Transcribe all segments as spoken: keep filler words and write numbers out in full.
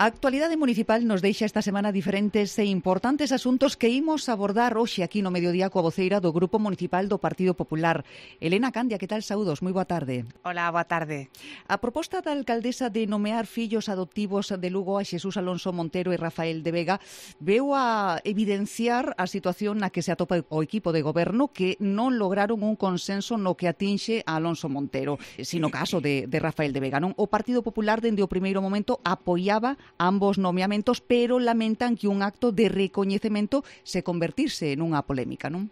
A actualidade municipal nos deixa esta semana diferentes e importantes asuntos que imos abordar hoxe aquí no mediodía coa voceira do Grupo Municipal do Partido Popular. Elena Candia, que tal? Saúdos, moi boa tarde. Hola, boa tarde. A proposta da alcaldesa de nomear fillos adoptivos de Lugo a Xesús Alonso Montero e Rafael de Vega veu a evidenciar a situación na que se atopa o equipo de goberno, que non lograron un consenso no que atinxe a Alonso Montero, sino caso de, de Rafael de Vega. Non? O Partido Popular, dende o primeiro momento, apoiaba ambos nomeamentos, pero lamentan que un acto de recoñecemento se convertirse nunha polémica, non?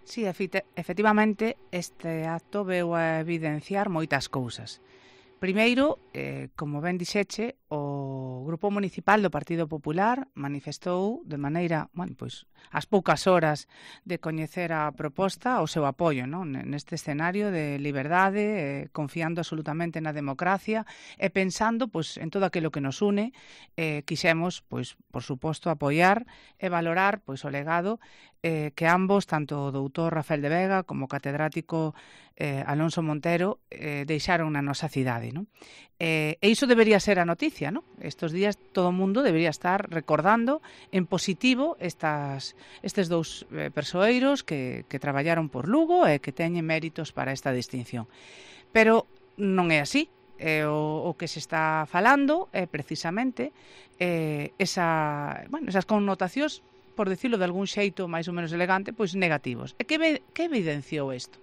Sí, efectivamente, este acto veu a evidenciar moitas cousas. Primeiro, eh, como ben dixeche, o Grupo Municipal do Partido Popular manifestou de maneira, bueno, pois, ás poucas horas de coñecer a proposta o seu apoio, non? Neste escenario de liberdade, eh, confiando absolutamente na democracia e pensando pois, en todo aquilo que nos une, eh, quixemos, pois, por suposto, apoiar e valorar pois, o legado eh, que ambos, tanto o doutor Rafael de Vega como o catedrático eh, Alonso Montero, eh, deixaron na nosa cidade. Non? Eh, e iso debería ser a noticia, non? Estos días todo o mundo debería estar recordando en positivo estas, estes dous eh, persoeiros que, que traballaron por Lugo e que teñen méritos para esta distinción. Pero non é así. Eh, o, o que se está falando é precisamente eh, esa, bueno, esas connotacións, por decirlo de algún xeito máis ou menos elegante, pois negativos. E que, que evidenciou isto?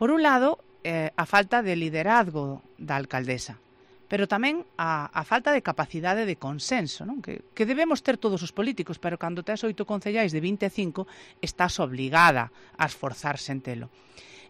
Por un lado, eh, a falta de liderazgo da alcaldesa, pero tamén a, a falta de capacidade de consenso, non? Que, que debemos ter todos os políticos, pero cando tes oito concellais de vinte e cinco, estás obligada a esforzarse en telo.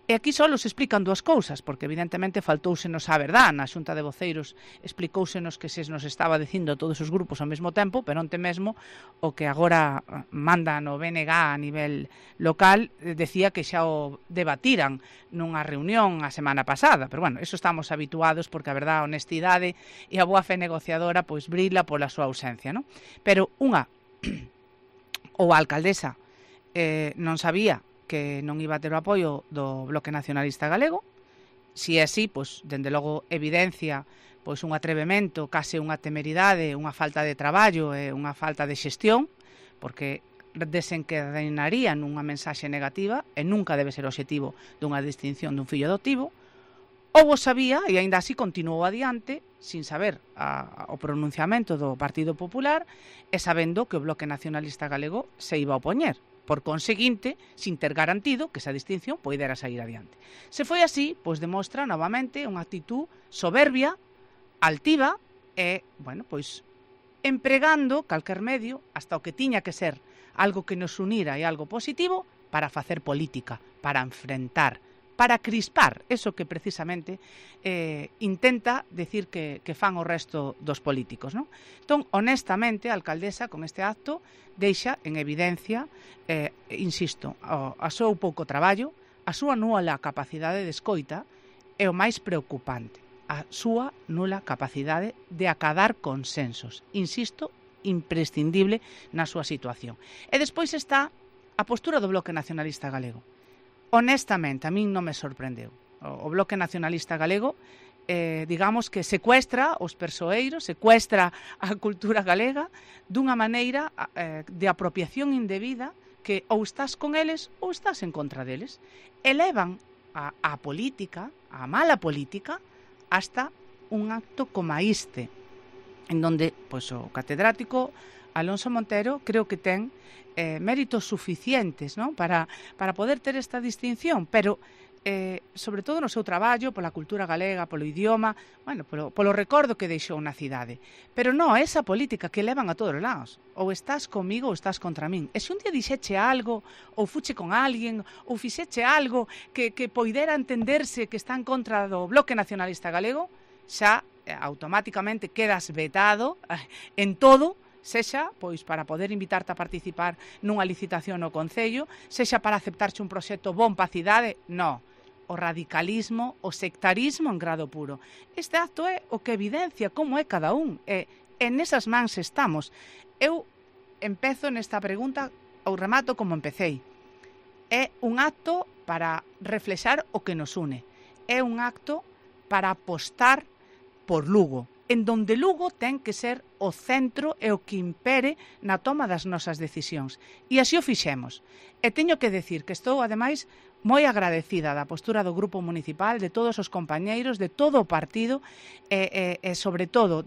E aquí só se explican dúas cousas, porque evidentemente faltousenos a verdad. Na Xunta de Voceiros explicousenos que se nos estaba dicindo a todos os grupos ao mesmo tempo, pero onte mesmo o que agora manda no B N G a nivel local decía que xa o debatiran nunha reunión a semana pasada. Pero bueno, eso estamos habituados porque a verdad, a honestidade e a boa fe negociadora pois brila pola súa ausencia, non? Pero unha, ou a alcaldesa eh, non sabía que non iba a ter o apoio do Bloque Nacionalista Galego. Si é así, pois, dende logo, evidencia pois, un atrevemento, case unha temeridade, unha falta de traballo e unha falta de xestión, porque desencadenaría nunha mensaxe negativa e nunca debe ser o obxectivo dunha distinción dun fillo adoptivo. Ou o sabía e aínda así continuou adiante sin saber a, a, o pronunciamento do Partido Popular e sabendo que o Bloque Nacionalista Galego se iba a opoñer. Por conseguinte, sin ter garantido que esa distinción poidera sair adiante. Se foi así, pois demostra novamente unha actitud soberbia, altiva e, bueno, pois empregando calquer medio hasta o que tiña que ser algo que nos unira e algo positivo para facer política, para enfrentar, para crispar, eso que precisamente eh, intenta decir que, que fan o resto dos políticos, non? Entón, honestamente, a alcaldesa con este acto deixa en evidencia, eh, insisto, a, a súa pouco traballo, a súa nula capacidade de escoita e o máis preocupante, a súa nula capacidade de acadar consensos, insisto, imprescindible na súa situación. E despois está a postura do Bloque Nacionalista Galego. Honestamente, a min non me sorprendeu. O Bloque Nacionalista Galego, eh, digamos que secuestra os persoeiros, secuestra a cultura galega dunha maneira eh, de apropiación indebida que ou estás con eles ou estás en contra deles. Elevan a, a política, a mala política, hasta un acto como este, en donde pois, o catedrático Alonso Montero creo que ten eh, méritos suficientes, non? para, para poder ter esta distinción, pero eh, sobre todo no seu traballo, pola cultura galega, polo idioma, bueno, polo, polo recordo que deixou na cidade. Pero non, esa política que levan a todos os lados. Ou estás comigo ou estás contra min. E se un día dixeche algo, ou fuche con alguén, ou fixeche algo que, que poidera entenderse que está en contra do Bloque Nacionalista Galego, xa eh, automáticamente quedas vetado eh, en todo, sexa pois para poder invitarte a participar nunha licitación no Concello, sexa para aceptarche un proxecto bon pa cidade, non. O radicalismo, o sectarismo en grado puro. Este acto é o que evidencia como é cada un, e en esas mans estamos. Eu empezo nesta pregunta ou remato como empecéi. É un acto para reflexar o que nos une. É un acto para apostar por Lugo, en donde Lugo ten que ser o centro e o que impere na toma das nosas decisións. E así o fixemos. E teño que decir que estou, ademais, moi agradecida da postura do Grupo Municipal, de todos os compañeiros, de todo o partido, e, e, e sobre todo,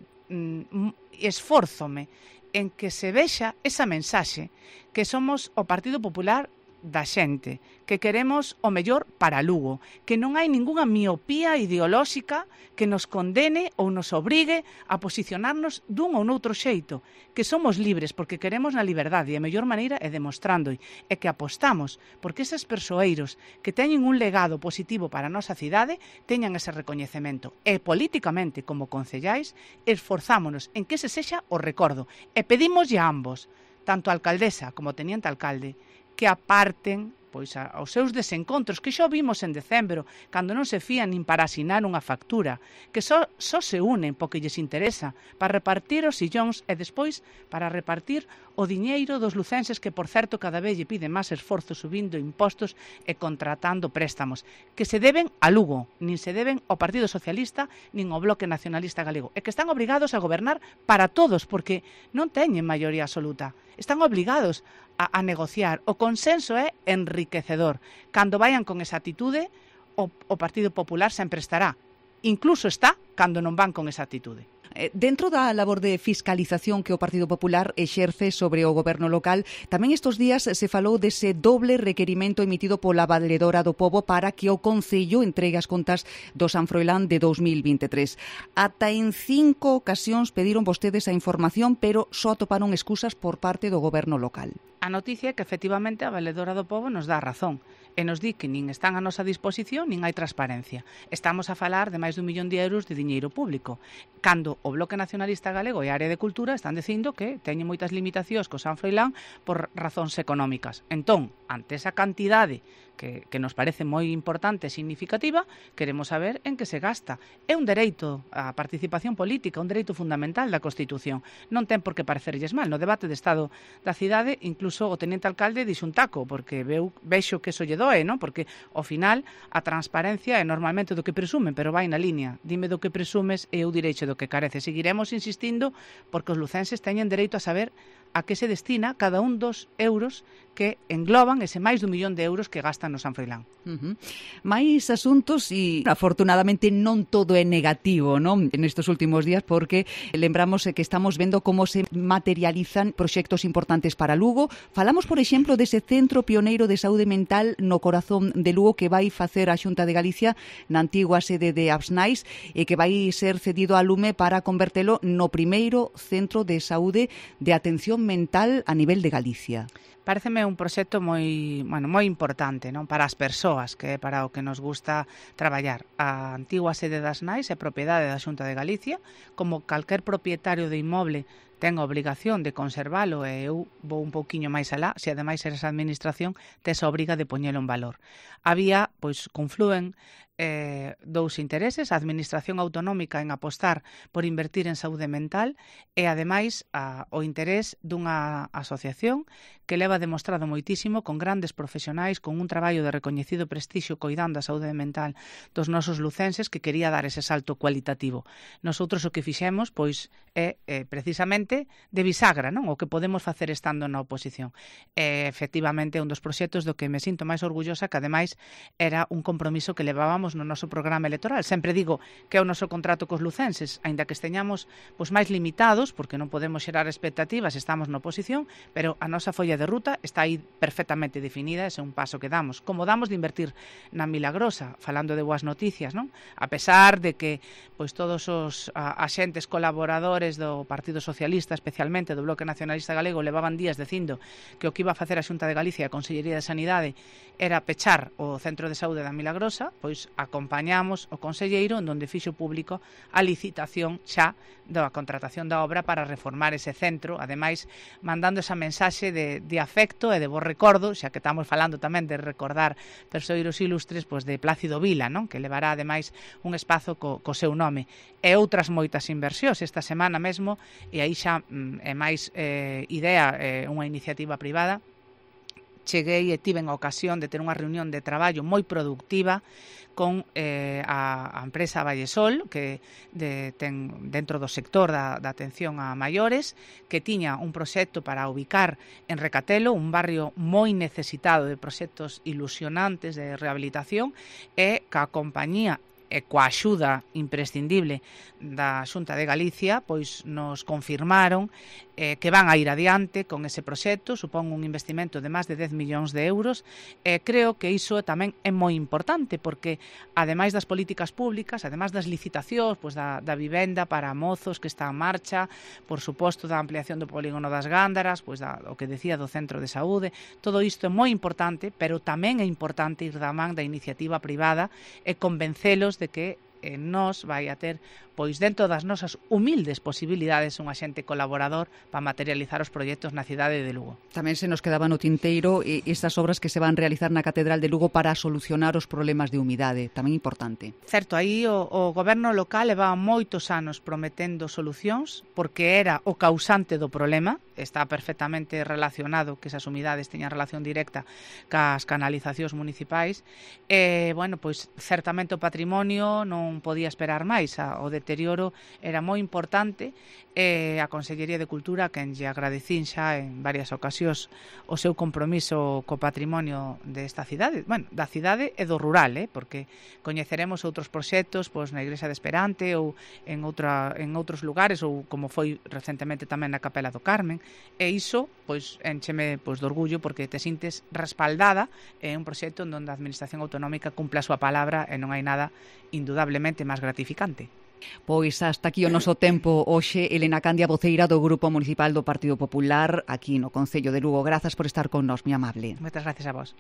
esfórzome en que se vexa esa mensaxe que somos o Partido Popular da xente, que queremos o mellor para Lugo, que non hai ningunha miopía ideolóxica que nos condene ou nos obrigue a posicionarnos dun ou noutro xeito, que somos libres porque queremos na liberdade e a mellor maneira é demostrando e que apostamos porque eses persoeiros que teñen un legado positivo para a nosa cidade teñan ese recoñecemento e políticamente como concellais esforzámonos en que ese sexa o recordo e pedimoslle a ambos, tanto a alcaldesa como a teniente alcalde, que aparten pois aos seus desencontros, que xa vimos en decembro, cando non se fían nin para asinar unha factura, que só, só se unen porque lles interesa para repartir os sillóns e despois para repartir o diñeiro dos lucenses que, por certo, cada vez lle piden máis esforzo subindo impostos e contratando préstamos, que se deben a Lugo, nin se deben ao Partido Socialista nin ao Bloque Nacionalista Galego, e que están obrigados a gobernar para todos, porque non teñen maioría absoluta. Están obligados a, a negociar. O consenso é enriquecedor. Cando vayan con esa atitude, o, o Partido Popular sempre estará. Incluso está cando non van con esa atitude. Dentro da labor de fiscalización que o Partido Popular exerce sobre o goberno local, tamén estes días se falou dese doble requerimento emitido pola Valedora do Pobo para que o Concello entregue as contas do San Froilán de dos mil vinte e tres. Ata en cinco ocasións pediron vostedes a información, pero só atoparon excusas por parte do goberno local. A noticia é que efectivamente a Valedora do Pobo nos dá razón e nos di que nin están a nosa disposición nin hai transparencia. Estamos a falar de máis dun millón de euros de diñeiro público, cando o Bloque Nacionalista Galego e a Área de Cultura están dicindo que teñen moitas limitacións co San Froilán por razóns económicas. Entón, ante esa cantidade que, que nos parece moi importante e significativa, queremos saber en que se gasta. É un dereito á participación política, un dereito fundamental da Constitución. Non ten por que parecerlles mal. No debate de Estado da cidade, incluso o teniente alcalde dixo un taco, porque veu, vexo que eso lle doe, non? Porque, ao final, a transparencia é normalmente do que presumen, pero vai na línea. Dime do que presumes e eu direiche do que carece. Seguiremos insistindo porque os lucenses teñen dereito a saber a que se destina cada un dos euros que engloban ese máis dun millón de euros que gastan no San Froilán. Uh-huh. Mais asuntos e, afortunadamente, non todo é negativo, non? En estes últimos días, porque lembramos que estamos vendo como se materializan proxectos importantes para Lugo. Falamos, por exemplo, dese centro pioneiro de saúde mental no corazón de Lugo que vai facer a Xunta de Galicia na antigua sede de Absnais e que vai ser cedido a Lume para convertelo no primeiro centro de saúde de atención mental a nivel de Galicia. Pareceme un proxecto moi, bueno, moi importante, non, para as persoas, que é para o que nos gusta traballar. A antigua sede das Nais é propiedade da Xunta de Galicia, como calquer propietario de inmoble ten a obrigación de conservalo e eu vou un pouquiño máis alá, se ademais eres a administración, tes a obriga de poñelo en valor. Había, pois, conflúen eh, dous intereses, a administración autonómica en apostar por invertir en saúde mental e, ademais, a, o interés dunha asociación que leva demostrado moitísimo con grandes profesionais, con un traballo de recoñecido prestixio coidando a saúde mental dos nosos lucenses que quería dar ese salto cualitativo. Nosotros o que fixemos, pois, é eh, precisamente de bisagra, non? O que podemos facer estando na oposición. E, efectivamente, un dos proxectos do que me sinto máis orgullosa, que ademais era un compromiso que levábamos no noso programa electoral. Sempre digo que é o noso contrato cos lucenses, aínda que esteñamos pois, máis limitados, porque non podemos xerar expectativas, estamos na oposición, pero a nosa folla de ruta está aí perfectamente definida, ese é un paso que damos. Como damos de invertir na Milagrosa, falando de boas noticias, non? A pesar de que pois todos os a, axentes colaboradores do Partido Socialista, especialmente do Bloque Nacionalista Galego, levaban días dicindo que o que iba a facer a Xunta de Galicia e a Consellería de Sanidade era pechar o Centro de Saúde da Milagrosa, pois acompañamos o conselleiro en donde fixo público a licitación xa da contratación da obra para reformar ese centro, ademais mandando esa mensaxe de, de afecto e de bo recordo, xa que estamos falando tamén de recordar persoeiros ilustres, pois de Plácido Vila, non? Que levará ademais un espazo co, co seu nome, e outras moitas inversións esta semana mesmo, e aí xa mm, é máis eh, idea, eh, unha iniciativa privada, cheguei e tiven a ocasión de ter unha reunión de traballo moi productiva con eh, a, a empresa Vallesol, que de, ten dentro do sector da, da atención a maiores, que tiña un proxecto para ubicar en Recatelo, un barrio moi necesitado de proxectos ilusionantes de rehabilitación, e ca compañía e coa axuda imprescindible da Xunta de Galicia, pois nos confirmaron eh, que van a ir adiante con ese proxecto. Supón un investimento de máis de dez millóns de euros, e creo que iso tamén é moi importante, porque ademais das políticas públicas, ademais das licitacións, pois da, da vivenda para mozos que está en marcha, por suposto da ampliación do polígono das Gándaras, pois da, o que decía do centro de saúde, todo isto é moi importante, pero tamén é importante ir da man da iniciativa privada e convencelos de que eh, nos vai a ter, pois dentro das nosas humildes posibilidades, un axente colaborador para materializar os proxectos na cidade de Lugo. Tamén se nos quedaba no tinteiro eh, estas obras que se van realizar na Catedral de Lugo para solucionar os problemas de humidade, tamén importante. Certo, aí o, o goberno local levaba moitos anos prometendo solucións, porque era o causante do problema, está perfectamente relacionado que esas humidades teñan relación directa cas canalizacións municipais, e, bueno, pois certamente o patrimonio non podía esperar máis, o deterioro era moi importante, e a Consellería de Cultura, quen lle agradecín xa en varias ocasións o seu compromiso co patrimonio desta cidade, bueno, da cidade e do rural, eh, porque coñeceremos outros proxectos pois na Igrexa de Esperante ou en, outra, en outros lugares, ou como foi recentemente tamén na Capela do Carmen, e iso pois encheme pois de orgullo, porque te sintes respaldada en un proxecto onde a Administración Autonómica cumpla a súa palabra, e non hai nada indudablemente máis gratificante. Pois hasta aquí o noso tempo hoxe. Elena Candia, voceira do Grupo Municipal do Partido Popular aquí no Concello de Lugo. Grazas por estar con nós, moi amable. Moitas gracias a vos.